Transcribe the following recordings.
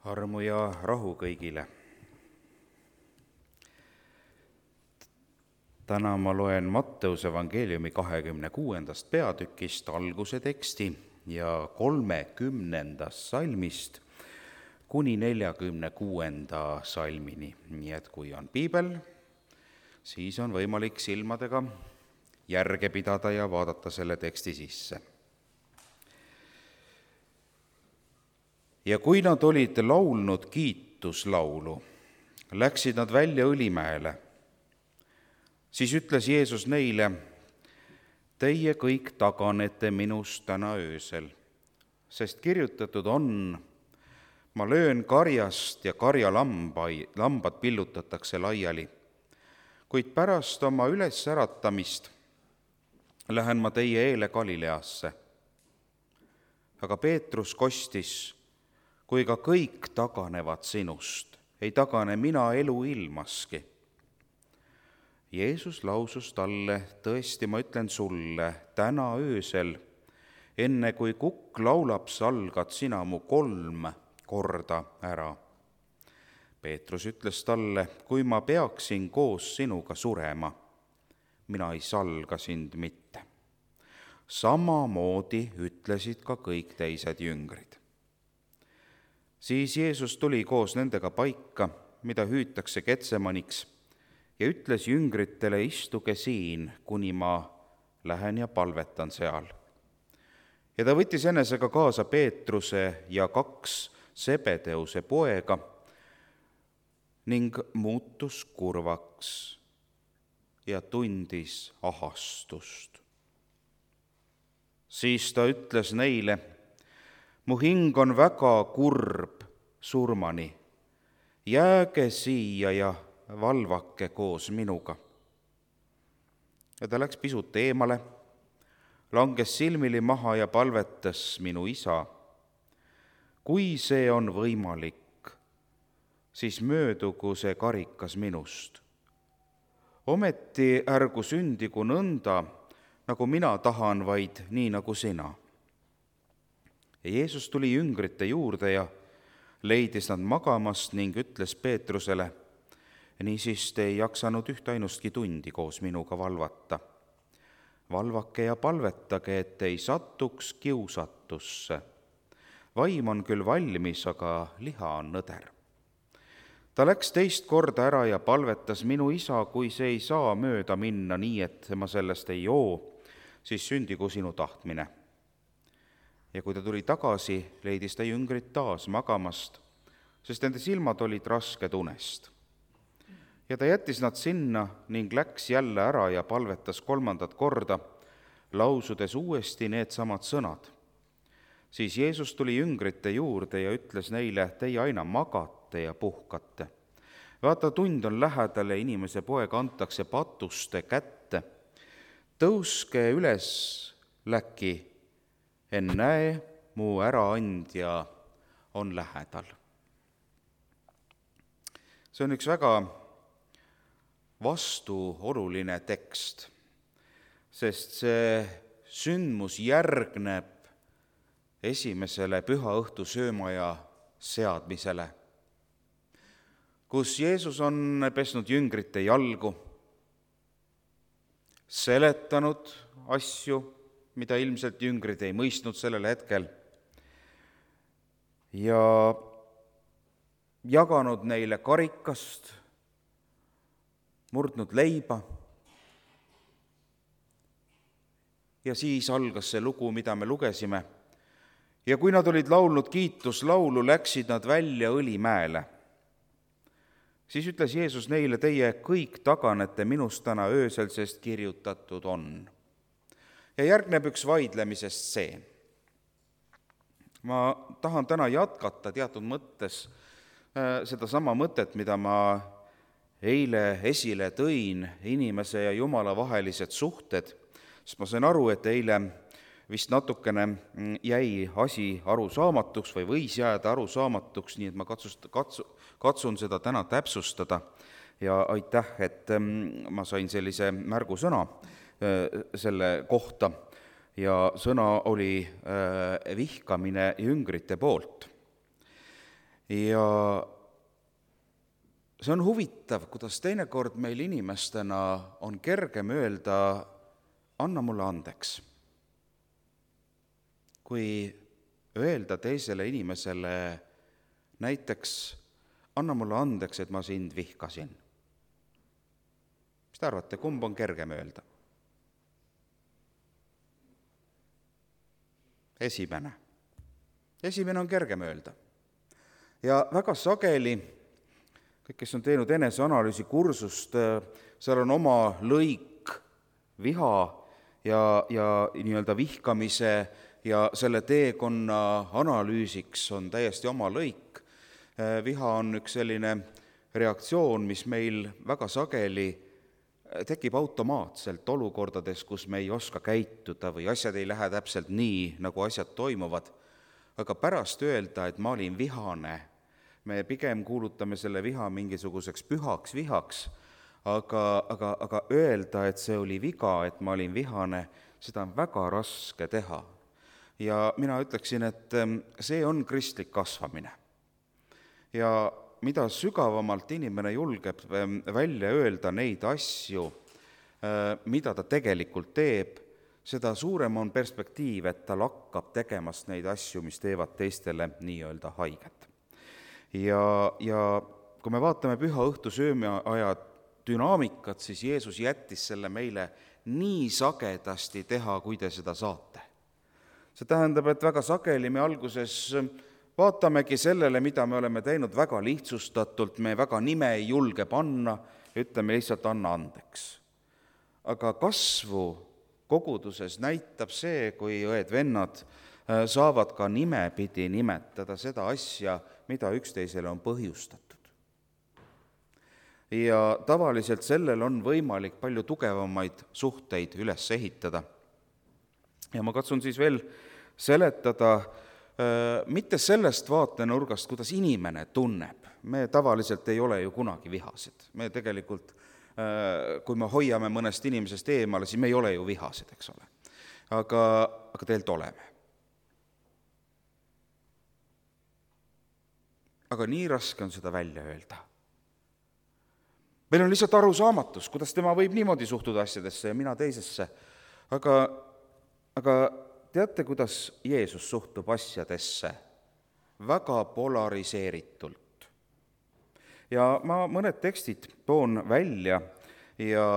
Armu ja rahu kõigile. Täna ma loen Matteuse evangeeliumi 26. peatükist alguse teksti ja 30. salmist kuni 46. salmini. Nii et kui on piibel, siis on võimalik silmadega järge pidada ja vaadata selle teksti sisse. Ja kui nad olid laulnud kiituslaulu, läksid nad välja Õlimäele. Siis ütles Jeesus neile: teie kõik taganete minust täna öösel, sest kirjutatud on: ma löön karjast ja karjalambad pillutatakse laiali. Kuid pärast oma ülesäratamist lähen ma teie eele Galileasse. Aga Peetrus kostis: kui ka kõik taganevad sinust, ei tagane mina eluilmaski. Jeesus lausus talle: tõesti, ma ütlen sulle, täna öösel, enne kui kukk laulab, salgad sina mu 3 korda ära. Peetrus ütles talle: kui ma peaksin koos sinuga surema, mina ei salga sind mitte. Samamoodi ütlesid ka kõik teised jüngrid. Siis Jeesus tuli koos nendega paika, mida hüütakse Getsemaniks, ja ütles jüngritele: istuge siin, kuni ma lähen ja palvetan seal. Ja ta võttis enesega kaasa Peetruse ja 2 Sebedeuse poega ning muutus kurvaks ja tundis ahastust. Siis ta ütles neile: mu hing on väga kurb surmani, jääge siia ja valvake koos minuga. Ja ta läks pisut eemale, langes silmili maha ja palvetas: minu isa, kui see on võimalik, siis möödugu see karikas minust. Ometi ärgu sündigu nõnda, nagu mina tahan, vaid nii, nagu sina. Ja Jeesus tuli jüngrite juurde ja leidis nad magamast ning ütles Peetrusele: niisiis te ei jaksanud ühtainustki tundi koos minuga valvata. Valvake ja palvetage, et ei satuks kiusatusse. Vaim on küll valmis, aga liha on nõder. Ta läks 2 korda ära ja palvetas: minu isa, kui see ei saa mööda minna nii, et ma sellest ei joo, siis sündigu sinu tahtmine. Ja kui ta tuli tagasi, leidis ta jüngrid taas magamast, sest nende silmad olid rasked unest. Ja ta jättis nad sinna ning läks jälle ära ja palvetas 3. korda, lausudes uuesti needsamad sõnad. Siis Jeesus tuli jüngrite juurde ja ütles neile: teie aina magate ja puhkate. Vaata, tund on lähedal ja inimese poeg antakse patuste kätte. Tõuske üles läki, ennäe, mu äraandja on lähedal. See on üks väga vastuoluline tekst, sest see sündmus järgneb esimesele pühaõhtu söömaja seadmisele, kus Jeesus on pesnud jüngrite jalgu, seletanud asju, mida ilmselt jüngrid ei mõistnud sellel hetkel, ja jaganud neile karikast, murdnud leiba. Ja siis algas see lugu, mida me lugesime. Ja kui nad olid laulnud kiituslaulu, läksid nad välja Õlimäele. Siis ütles Jeesus neile: teie kõik taganete minust täna öösel, sest kirjutatud on. Ja järgneb üks vaidlemise stseen. Ma tahan täna jätkata teatud mõttes sedasama mõtet, mida ma eile esile tõin, inimese ja Jumala vahelised suhted, sest ma sain aru, et eile vist natukene jäi asi arusaamatuks või võis jääda arusaamatuks, nii et ma katsun seda täna täpsustada. Ja aitäh, et ma sain sellise märgusõna selle kohta ja sõna oli vihkamine jüngrite poolt. Ja see on huvitav, kuidas teinekord meil inimestena on kergem öelda, anna mulle andeks, kui öelda teisele inimesele näiteks, anna mulle andeks, et ma sind vihkasin. Mis te arvate, kumb on kergem öelda? Esimene on kergem öelda. Ja väga sageli, kõik, kes on teinud eneseanalüüsi kursust, seal on oma lõik viha ja nii-öelda vihkamise ja selle teekonna analüüsiks on täiesti oma lõik. Viha on üks selline reaktsioon, mis meil väga sageli tekib automaatselt olukordades, kus me ei oska käituda või asjad ei lähe täpselt nii, nagu asjad toimuvad. Aga pärast öelda, et ma olin vihane, me pigem kuulutame selle viha mingisuguseks pühaks vihaks, aga öelda, et see oli viga, et ma olin vihane, seda on väga raske teha. Ja mina ütleksin, et see on kristlik kasvamine. Ja mida sügavamalt inimene julgeb välja öelda neid asju, mida ta tegelikult teeb, seda suurem on perspektiiv, et ta hakkab tegemast neid asju, mis teevad teistele nii-öelda haiget. Ja kui me vaatame püha õhtu söömiaja dünaamikat, siis Jeesus jättis selle meile nii sagedasti teha, kui te seda saate. See tähendab, et väga sageli me alguses vaatamegi sellele, mida me oleme teinud väga lihtsustatult, me väga nime ei julge panna, ütleme lihtsalt anna andeks. Aga kasvu koguduses näitab see, kui õed-vennad saavad ka nimepidi nimetada seda asja, mida üksteisele on põhjustatud. Ja tavaliselt sellel on võimalik palju tugevamaid suhteid üles ehitada. Ja ma katsun siis veel seletada mitte sellest vaatenurgast, kuidas inimene tunneb. Me tavaliselt ei ole ju kunagi vihased. Me tegelikult, kui me hoiame mõnest inimesest eemale, siis me ei ole ju vihased, eks ole. Aga tegelikult oleme. Aga nii raske on seda välja öelda. Meil on lihtsalt arusaamatus, kuidas tema võib niimoodi suhtuda asjadesse ja mina teisesse. Aga teate, kuidas Jeesus suhtub asjadesse? Väga polariseeritult. Ja ma mõned tekstid toon välja ja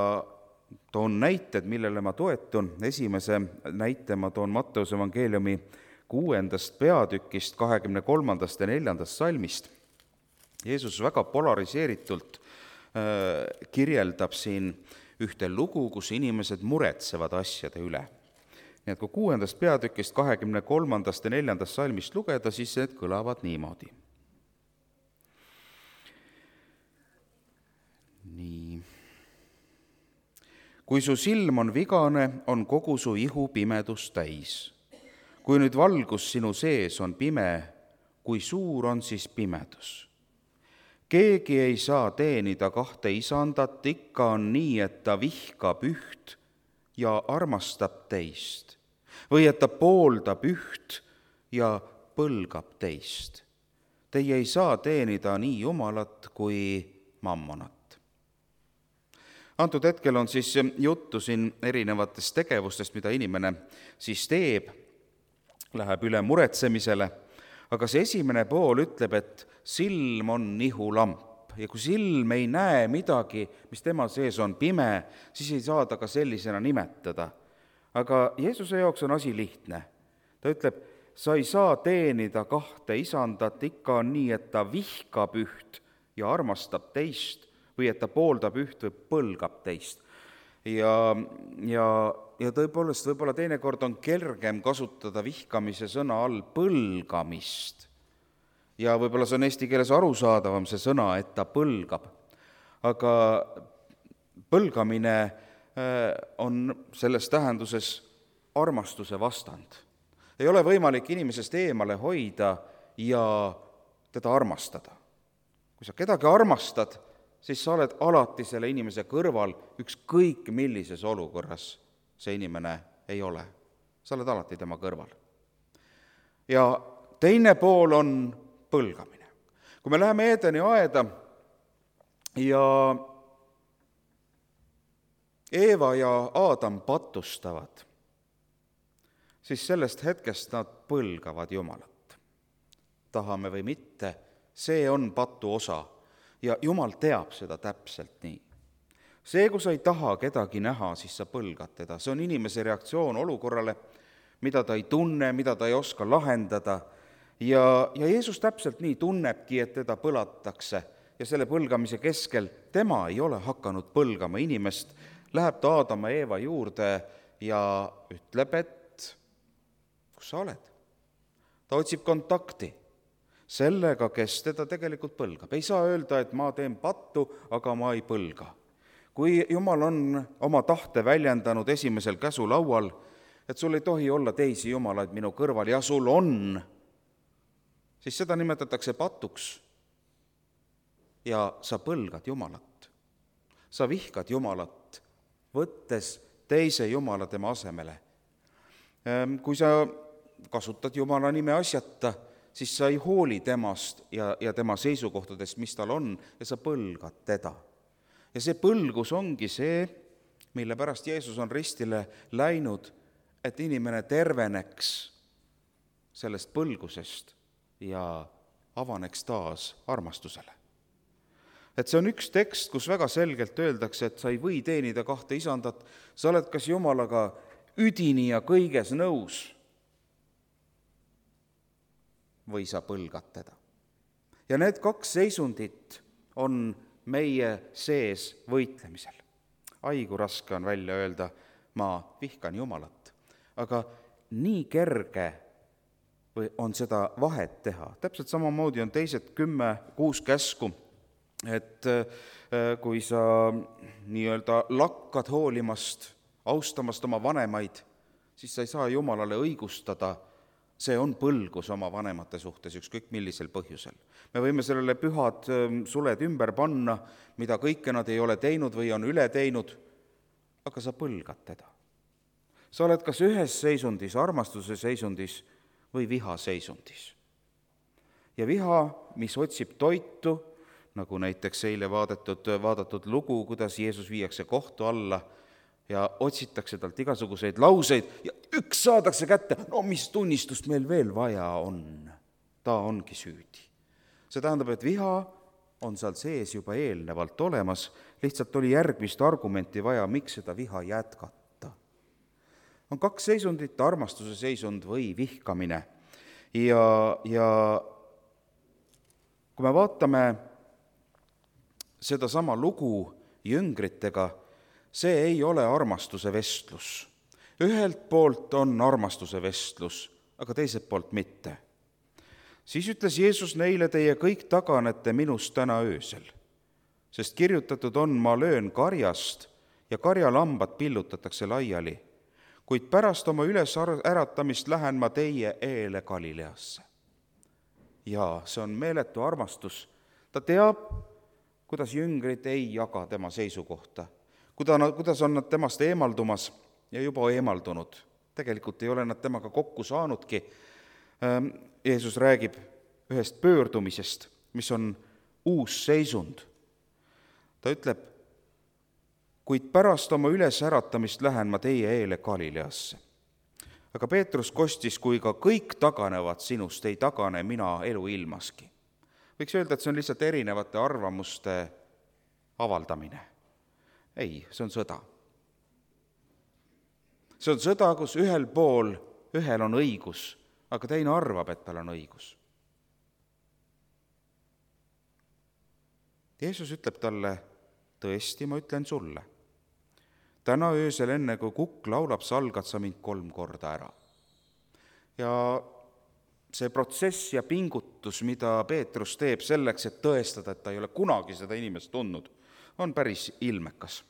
toon näited, millele ma toetun. Esimese näite ma toon Matteuse evangeeliumi 6. peatükist, 23. ja 4. salmist. Jeesus väga polariseeritult kirjeldab siin ühte lugu, kus inimesed muretsevad asjade üle. Nii et kui 6. peatükist 23. ja 4. salmist lugeda, siis need kõlavad niimoodi. Nii. Kui su silm on vigane, on kogu su ihu pimedus täis. Kui nüüd valgus sinu sees on pime, kui suur on siis pimedus? Keegi ei saa teenida kahte isandat, ikka on nii, et ta vihkab üht ja armastab teist. Või et ta pooldab üht ja põlgab teist. Teie ei saa teenida nii Jumalat kui mammonat. Antud hetkel on siis juttu siin erinevatest tegevustest, mida inimene siis teeb, läheb üle muretsemisele, aga see esimene pool ütleb, et silm on nihulamp ja kui silm ei näe midagi, mis tema sees on pime, siis ei saa ta ka sellisena nimetada. Aga Jeesuse jaoks on asi lihtne. Ta ütleb, sa ei saa teenida kahte isandat, ikka on nii, et ta vihkab üht ja armastab teist või et ta pooldab üht või põlgab teist. Ja tõepoolest võib-olla teinekord on kergem kasutada vihkamise sõna all põlgamist. Ja võib-olla see on eesti keeles arusaadavam see sõna, et ta põlgab. Aga põlgamine on selles tähenduses armastuse vastand. Ei ole võimalik inimesest eemale hoida ja teda armastada. Kui sa kedagi armastad, siis sa oled alati selle inimese kõrval, ükskõik millises olukorras see inimene ei ole. Sa oled alati tema kõrval. Ja teine pool on põlgamine. kui me läheme Eedeni aeda ja Eeva ja Aadam patustavad, siis sellest hetkest nad põlgavad Jumalat. Tahame või mitte, see on patu osa ja Jumal teab seda täpselt nii. See, kui sa ei taha kedagi näha, siis sa põlgad teda. See on inimese reaktsioon olukorrale, mida ta ei tunne, mida ta ei oska lahendada. Ja Jeesus täpselt nii tunnebki, et teda põlatakse ja selle põlgamise keskel tema ei ole hakanud põlgama inimest. Läheb ta Aadama ja Eeva juurde ja ütleb, et kus sa oled? Ta otsib kontakti sellega, kes teda tegelikult põlgab. Ei saa öelda, et ma teen pattu, aga ma ei põlga. Kui Jumal on oma tahte väljendanud esimesel käsulaual, et sul ei tohi olla teisi jumalaid minu kõrval ja sul on, siis seda nimetatakse patuks ja sa põlgad Jumalat. Sa vihkad Jumalat, võttes teise Jumala tema asemele. Kui sa kasutad Jumala nime asjata, siis sa ei hooli temast ja tema seisukohtadest, mis tal on, ja sa põlgad teda. Ja see põlgus ongi see, mille pärast Jeesus on ristile läinud, et inimene terveneks sellest põlgusest ja avaneks taas armastusele. Et see on üks tekst, kus väga selgelt öeldakse, et sa ei või teenida kahte isandat, sa oled kas Jumalaga üdini ja kõiges nõus või sa põlgad teda. Ja need kaks seisundit on meie sees võitlemisel. Ai, kui raske on välja öelda, ma vihkan Jumalat. Aga nii kerge on seda vahet teha. Täpselt samamoodi on teised 6 käsku, et kui sa nii-öelda lakkad hoolimast, austamast oma vanemaid, siis sa ei saa Jumalale õigustada. See on põlgus oma vanemate suhtes, ükskõik millisel põhjusel. Me võime sellele pühad suled ümber panna, mida kõike nad ei ole teinud või on üle teinud, aga sa põlgad teda. Sa oled kas ühes seisundis, armastuse seisundis või viha seisundis. Ja viha, mis otsib toitu, nagu näiteks eile vaadatud lugu, kuidas Jeesus viiakse kohtu alla ja otsitakse talt igasuguseid lauseid ja üks saadakse kätte, no mis tunnistust meil veel vaja on, ta ongi süüdi. See tähendab, et viha on seal sees juba eelnevalt olemas, lihtsalt oli järgmist argumenti vaja, miks seda viha jätkata. On 2 seisundit, armastuse seisund või vihkamine. Ja kui me vaatame sedasama lugu jüngritega, see ei ole armastuse vestlus. Ühelt poolt on armastuse vestlus, aga teiselt poolt mitte. Siis ütles Jeesus neile, teie kõik taganete minust täna öösel, sest kirjutatud on, ma löön karjast ja karjalambad pillutatakse laiali, kuid pärast oma ülesäratamist lähen ma teie eele Galileasse. Ja see on meeletu armastus. Ta teab, kuidas jüngrid ei jaga tema seisukohta, kuidas on nad temast eemaldumas ja juba eemaldunud. Tegelikult ei ole nad temaga kokku saanudki. Jeesus räägib ühest pöördumisest, mis on uus seisund. Ta ütleb, kuid pärast oma ülesäratamist lähen ma teie eele Galileasse. Aga Peetrus kostis, kui ka kõik taganevad sinust, ei tagane mina elu ilmaski. Võiks öelda, et see on lihtsalt erinevate arvamuste avaldamine. Ei, see on sõda. See on sõda, kus ühel on õigus, aga teine arvab, et tal on õigus. Jeesus ütleb talle, tõesti, ma ütlen sulle, täna öösel enne, kui kukk laulab, salgad sa mind 3 korda ära. Ja see protsess ja pingutus, mida Peetrus teeb selleks, et tõestada, et ta ei ole kunagi seda inimest tundnud, on päris ilmekas.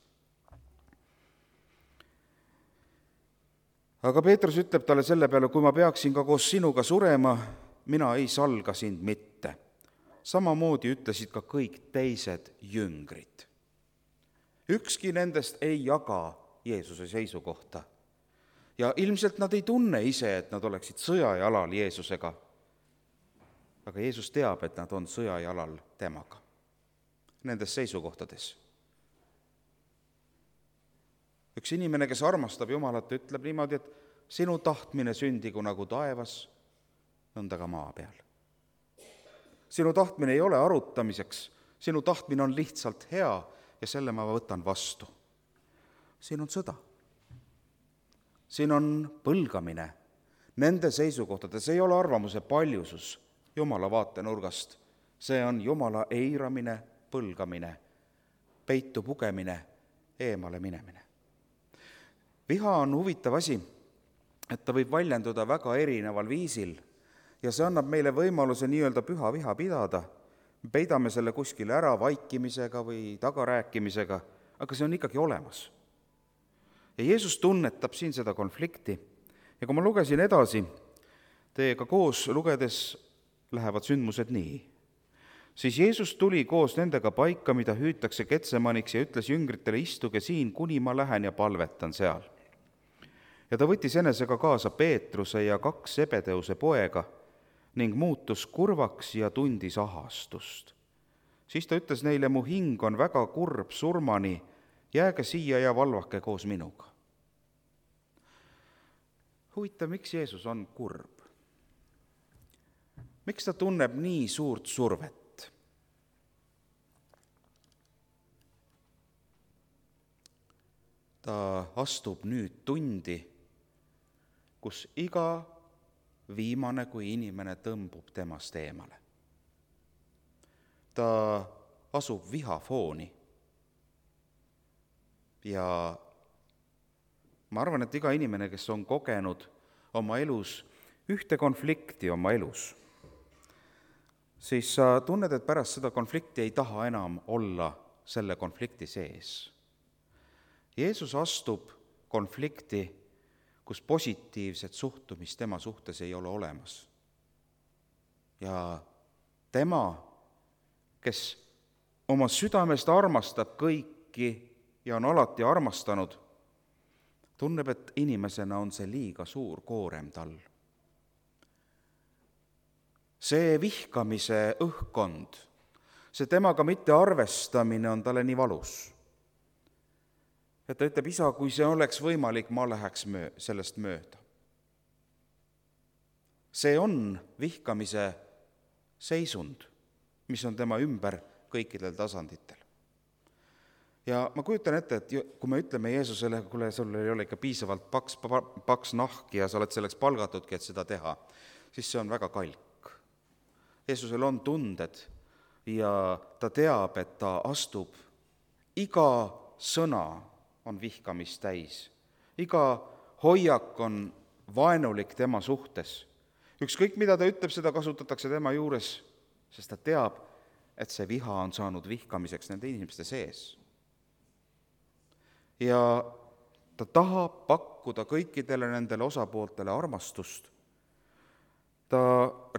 Aga Peetrus ütleb talle selle peale, kui ma peaksin ka koos sinuga surema, mina ei salga sind mitte. Samamoodi ütlesid ka kõik teised jüngrid. Ükski nendest ei jaga Jeesuse seisukohta. Ja ilmselt nad ei tunne ise, et nad oleksid sõjajalal Jeesusega. aga Jeesus teab, et nad on sõjajalal temaga nendes seisukohtades. Üks inimene, kes armastab Jumalat, ütleb niimoodi, et sinu tahtmine sündigu nagu taevas, nõnda ka maa peal. Sinu tahtmine ei ole arutamiseks, sinu tahtmine on lihtsalt hea ja selle ma võtan vastu. Siin on sõda. Siin on põlgamine nende seisukohtades, ei ole arvamuse paljusus Jumala vaatenurgast. See on Jumala eiramine, põlgamine, peitu pugemine, eemale minemine. Viha on huvitav asi, et ta võib väljenduda väga erineval viisil ja see annab meile võimaluse nii-öelda püha viha pidada. Peidame selle kuskile ära vaikimisega või tagarääkimisega, aga see on ikkagi olemas. Ja Jeesus tunnetab siin seda konflikti. Ja kui ma lugesin edasi, teiega koos lugedes lähevad sündmused nii. Siis Jeesus tuli koos nendega paika, mida hüütakse Getsemaniks ja ütles jüngritele, istuge siin, kuni ma lähen ja palvetan seal. Ja ta võttis enesega kaasa Peetruse ja 2 Zebedeuse poega ning muutus kurvaks ja tundis ahastust. Siis ta ütles neile, mu hing on väga kurb surmani, jääge siia ja valvake koos minuga. Huvitav, miks Jeesus on kurb? Miks ta tunneb nii suurt survet? Ta astub nüüd tundi, kus iga viimane kui inimene tõmbub temast eemale. Ta asub vihafooni ja ma arvan, et iga inimene, kes on kogenud oma elus ühte konflikti oma elus, siis sa tunned, et pärast seda konflikti ei taha enam olla selle konflikti sees. Jeesus astub konflikti, kus positiivset suhtumist tema suhtes ei ole olemas. Ja tema, kes oma südamest armastab kõiki ja on alati armastanud, tunneb, et inimesena on see liiga suur koorem tal. See vihkamise õhkkond, see temaga mitte arvestamine on talle nii valus. Et ta ütleb, isa, kui see oleks võimalik, ma läheks sellest mööda. See on vihkamise seisund, mis on tema ümber kõikidel tasanditel. Ja ma kujutan ette, et kui me ütleme Jeesusele, kuule, sul ei ole ikka piisavalt paks nahk ja sa oled selleks palgatudki, et seda teha, siis see on väga kalk. Jeesusel on tunded ja ta teab, et ta astub, iga sõna on vihkamist täis. Iga hoiak on vaenulik tema suhtes. Ükskõik, mida ta ütleb, seda kasutatakse tema juures, sest ta teab, et see viha on saanud vihkamiseks nende inimeste sees. Ja ta tahab pakkuda kõikidele nendele osapooltele armastust. Ta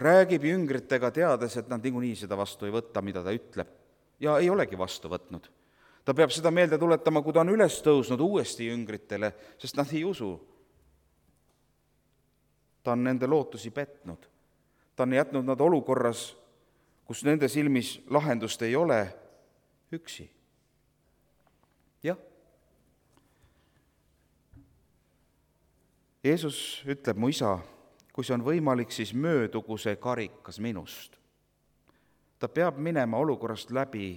räägib jüngritega teades, et nad niikuinii seda vastu ei võtta, mida ta ütleb, ja ei olegi vastu võtnud. Ta peab seda meelde tuletama, kui ta on üles tõusnud uuesti jüngritele, sest nad ei usu. Ta on nende lootusi petnud. Ta on jätnud nad olukorras, kus nende silmis lahendust ei ole, üksi. Jah. Jeesus ütleb, mu isa, kui see on võimalik, siis möödugu see karikas minust. Ta peab minema olukorrast läbi,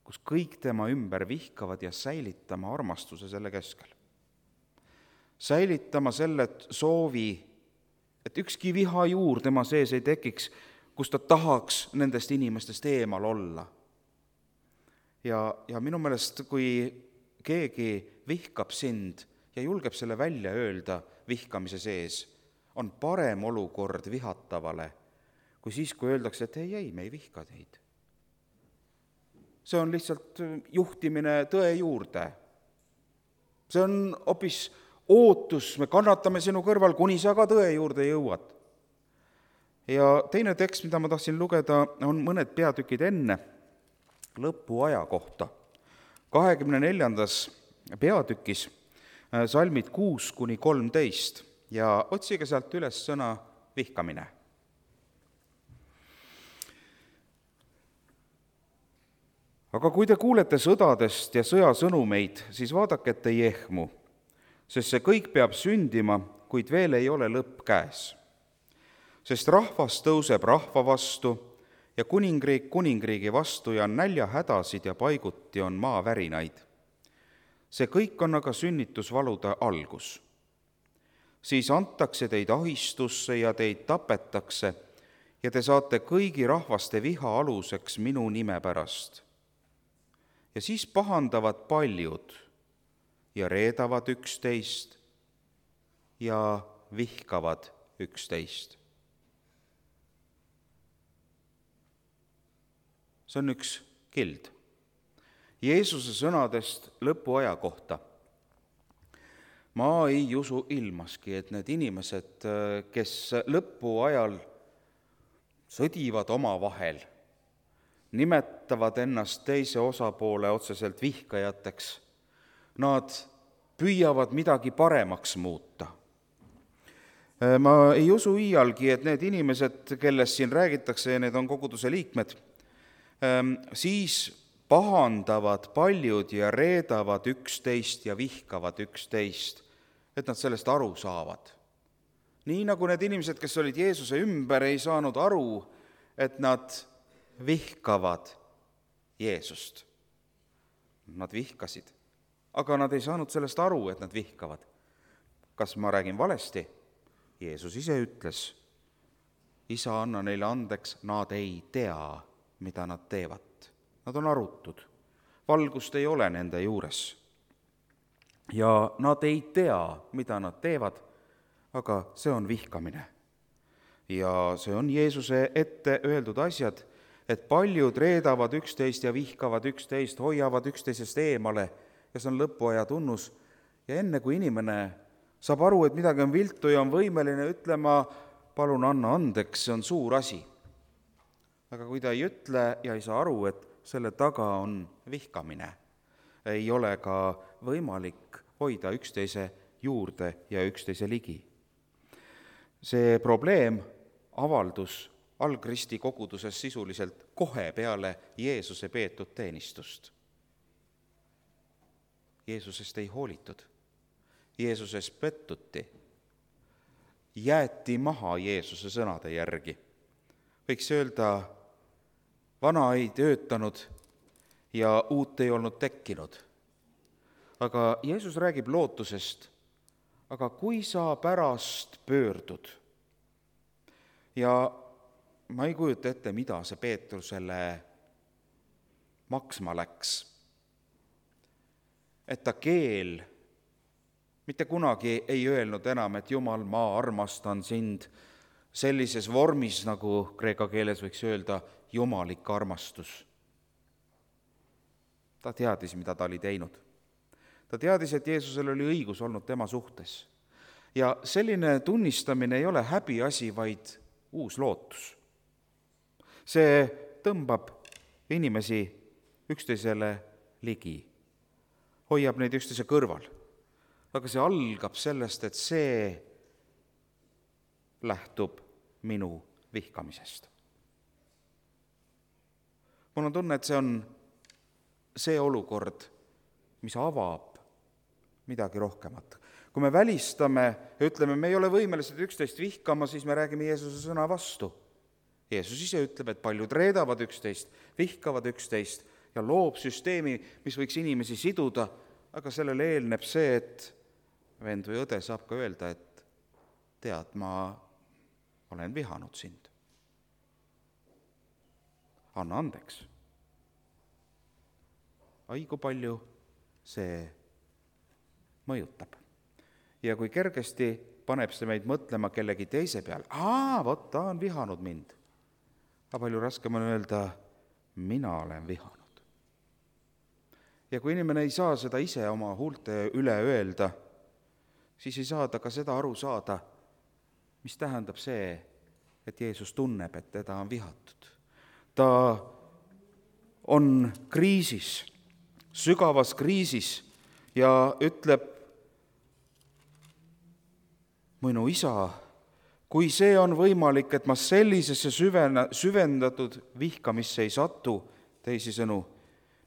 kus kõik tema ümber vihkavad ja säilitama armastuse selle keskel. Säilitama selle soovi, et ükski viha juur tema sees ei tekiks, kus ta tahaks nendest inimestest eemal olla. Ja minu meelest, kui keegi vihkab sind ja julgeb selle välja öelda vihkamise sees, on parem olukord vihatavale, kui siis, kui öeldakse, et ei, me ei vihka teid. See on lihtsalt juhtimine tõe juurde. See on hoopis ootus, me kannatame sinu kõrval, kuni sa ka tõe juurde jõuad. Ja teine tekst, mida ma tahtsin lugeda, on mõned peatükid enne lõpuaja kohta. 24. peatükis salmid 6-13 ja otsige sealt üles sõna vihkamine. Aga kui te kuulete sõdadest ja sõjasõnumeid, siis vaadake, et ei ehmu, sest see kõik peab sündima, kuid veel ei ole lõpp käes. Sest rahvas tõuseb rahva vastu ja kuningriik kuningriigi vastu ja on näljahädasid ja paiguti on maavärinaid. See kõik on aga sünnitusvalude algus. Siis antakse teid ahistusse ja teid tapetakse ja te saate kõigi rahvaste viha aluseks minu nime pärast. Ja siis pahandavad paljud ja reedavad üksteist ja vihkavad üksteist. See on üks kild Jeesuse sõnadest lõpuaja kohta. Ma ei usu ilmaski, et need inimesed, kes lõpuajal sõdivad omavahel, nimetavad ennast teise osapoole otseselt vihkajateks, nad püüavad midagi paremaks muuta. Ma ei usu iialgi, et need inimesed, kellest siin räägitakse, ja need on koguduse liikmed, siis pahandavad paljud ja reedavad üksteist ja vihkavad üksteist, et nad sellest aru saavad. Nii nagu need inimesed, kes olid Jeesuse ümber, ei saanud aru, et nad vihkavad Jeesust. Nad vihkasid, aga nad ei saanud sellest aru, et nad vihkavad. Kas ma räägin valesti? Jeesus ise ütles, Isa, anna neile andeks, nad ei tea, mida nad teevad. Nad on arutud, valgust ei ole nende juures. Ja nad ei tea, mida nad teevad, aga see on vihkamine. Ja see on Jeesuse ette öeldud asjad, et paljud reedavad üksteist ja vihkavad üksteist, hoiavad üksteisest eemale ja see on lõpuaja tunnus. Ja enne kui inimene saab aru, et midagi on viltu ja on võimeline ütlema, palun anna andeks, see on suur asi. Aga kui ta ei ütle ja ei saa aru, et selle taga on vihkamine, ei ole ka võimalik hoida üksteise juurde ja üksteise ligi. See probleem avaldus algristi koguduses sisuliselt kohe peale Jeesuse peetud teenistust. Jeesusest ei hoolitud, Jeesuses pettuti, jäeti maha Jeesuse sõnade järgi. Võiks öelda, vana ei töötanud ja uut ei olnud tekkinud. Aga Jeesus räägib lootusest, aga kui sa pärast pöördud, ja ma ei kujuta ette, mida see Peetrusele maksma läks, et ta keel mitte kunagi ei öelnud enam, et Jumal, ma armastan sind sellises vormis, nagu kreeka keeles võiks öelda, jumalik armastus. Ta teadis, mida ta oli teinud. Ta teadis, et Jeesusel oli õigus olnud tema suhtes. Ja selline tunnistamine ei ole häbiasi, vaid uus lootus. See tõmbab inimesi üksteisele ligi, hoiab neid üksteise kõrval. Aga see algab sellest, et see lähtub minu vihkamisest. Mul on tunne, et see on see olukord, mis avab midagi rohkemat. Kui me välistame ja ütleme, me ei ole võimelised üksteist vihkama, siis me räägime Jeesuse sõna vastu. Jeesus ise ütleb, et paljud reedavad üksteist, vihkavad üksteist ja loob süsteemi, mis võiks inimesi siduda, aga sellele eelneb see, et vend või õde saab ka öelda, et tead, ma olen vihanud sind. Anna andeks. Ai, kui palju see mõjutab. Ja kui kergesti paneb see meid mõtlema kellegi teise peal, vot ta on vihanud mind. Aga palju raskem on öelda, mina olen vihanud. Ja kui inimene ei saa seda ise oma huulte üle öelda, siis ei saa ta ka seda aru saada, mis tähendab see, et Jeesus tunneb, et teda on vihatud. Ta on kriisis, sügavas kriisis ja ütleb, minu isa, kui see on võimalik, et ma sellisesse süvendatud vihkamisse ei satu, teisisõnu,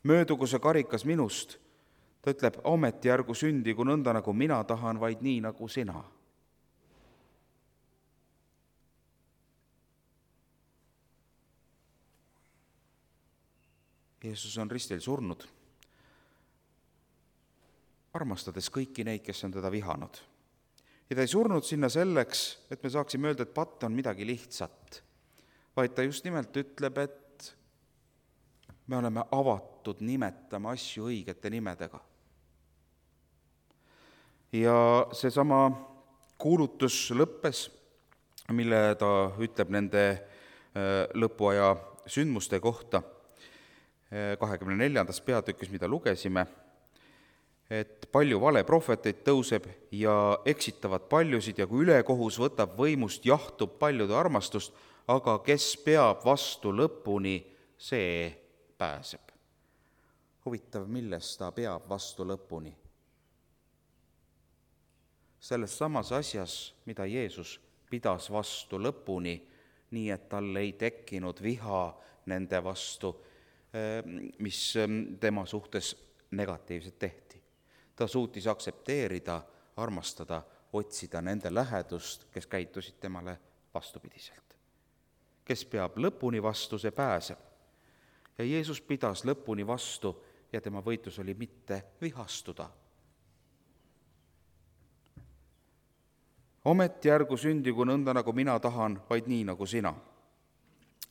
möödugu see karikas minust. Ta ütleb, ometi ärgu sündigu nõnda, nagu mina tahan, vaid nii, nagu sina. Jeesus on ristil surnud, armastades kõiki neid, kes on teda vihanud. Ja ta ei surnud sinna selleks, et me saaksime öelda, et patt on midagi lihtsat, vaid ta just nimelt ütleb, et me oleme avatud nimetama asju õigete nimedega. Ja seesama kuulutus lõppes, mille ta ütleb nende lõpuaja sündmuste kohta, 24. peatükis, mida lugesime, et palju valeprohveteid tõuseb ja eksitavad paljusid ja kui ülekohus võtab võimust, jahtub paljude armastust, aga kes peab vastu lõpuni, see pääseb. Huvitav, milles ta peab vastu lõpuni? Selles samas asjas, mida Jeesus pidas vastu lõpuni, nii et tal ei tekkinud viha nende vastu, mis tema suhtes negatiivselt tehti. Ta suutis aktsepteerida, armastada, otsida nende lähedust, kes käitusid temale vastupidiselt. Kes peab lõpuni vastu, see pääseb. Ja Jeesus pidas lõpuni vastu ja tema võitlus oli mitte vihastuda. Ometi ärgu sündigu nõnda, nagu mina tahan, vaid nii, nagu sina.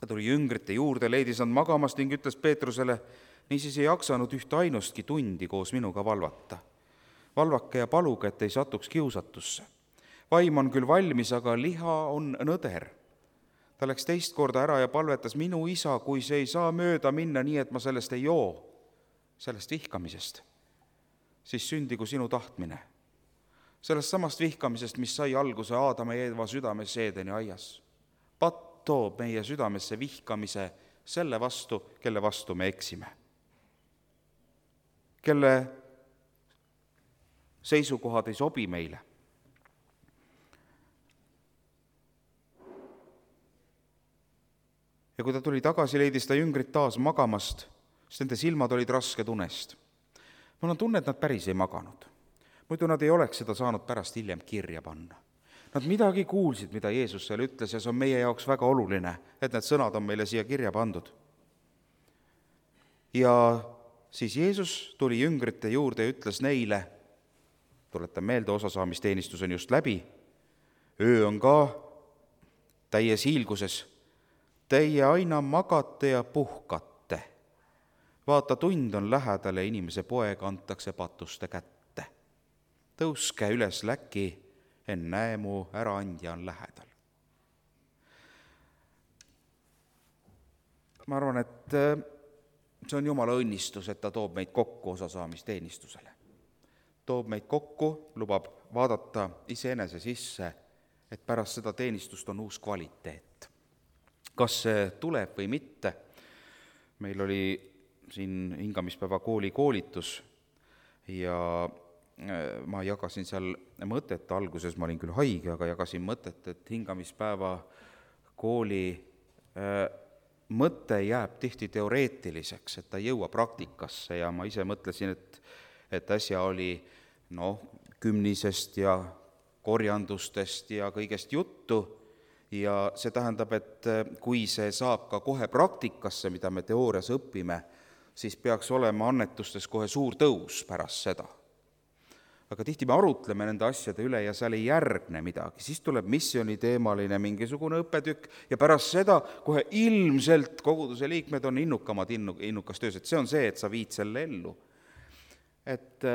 Ta tuli jüngrite juurde, leidis nad magamas ning ütles Peetrusele, niisiis ei jaksanud üht ainustki tundi koos minuga valvata. Valvake ja paluge, et ei satuks kiusatusse. Vaim on küll valmis, aga liha on nõder. Ta läks teist korda ära ja palvetas, minu isa, kui see ei saa mööda minna nii, et ma sellest ei joo, sellest vihkamisest, siis sündigu sinu tahtmine. Sellest samast vihkamisest, mis sai alguse Aadama ja Eeva südames Eedeni aias. Patt toob meie südamesse vihkamise selle vastu, kelle vastu me eksime. Kelle seisukohad ei sobi meile. Ja kui ta tuli tagasi, leidis ta jüngrid taas magamast, sest nende silmad olid rasked unest. Mul on tunne, et nad päris ei maganud. Muidu nad ei oleks seda saanud pärast hiljem kirja panna. Nad midagi kuulsid, mida Jeesus seal ütles, ja see on meie jaoks väga oluline, et need sõnad on meile siia kirja pandud. Ja siis Jeesus tuli jüngrite juurde ja ütles neile, tuletan meelde, osasaamisteenistus on just läbi, öö on ka täies hiilguses, teie aina magate ja puhkate. Vaata, tund on lähedal ja inimese poeg antakse patuste kätte. Tõuske üles läki, ennäe mu äraandja on lähedal. Ma arvan, et see on Jumala õnnistus, et ta toob meid kokku osasaamisteenistusele. Toob meid kokku, lubab vaadata iseenese sisse, et pärast seda teenistust on uus kvaliteet. Kas see tuleb või mitte? Meil oli siin hingamispäeva kooli koolitus ja ma jagasin seal mõtet, alguses ma olin küll haige, aga jagasin mõtet, et hingamispäeva kooli mõte jääb tihti teoreetiliseks, et ta ei jõua praktikasse ja ma ise mõtlesin, et äsja oli kümnisest ja korjandustest ja kõigest juttu ja see tähendab, et kui see saab ka kohe praktikasse, mida me teoorias õpime, siis peaks olema annetustes kohe suur tõus pärast seda. Aga tihti me arutleme nende asjade üle ja seal ei järgne midagi. Siis tuleb missioniteemaline mingisugune õppetükk ja pärast seda kohe ilmselt koguduse liikmed on innukas töös. Et see on see, et sa viid selle ellu. Et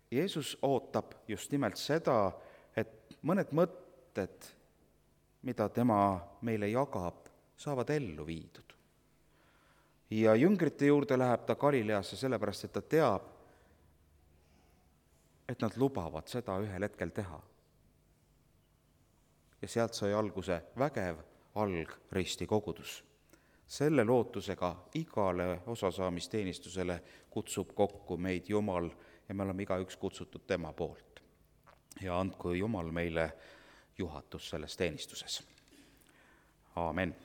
Jeesus ootab just nimelt seda, et mõned mõtted, mida tema meile jagab, saavad ellu viidud. Ja jüngrite juurde läheb ta Galileasse sellepärast, et ta teab, et nad lubavad seda ühel hetkel teha. Ja sealt sai alguse vägev algristi kogudus. Selle lootusega igale osasaamisteenistusele kutsub kokku meid Jumal ja me oleme igaüks kutsutud tema poolt. Ja andku Jumal meile juhatus selles teenistuses. Aamen.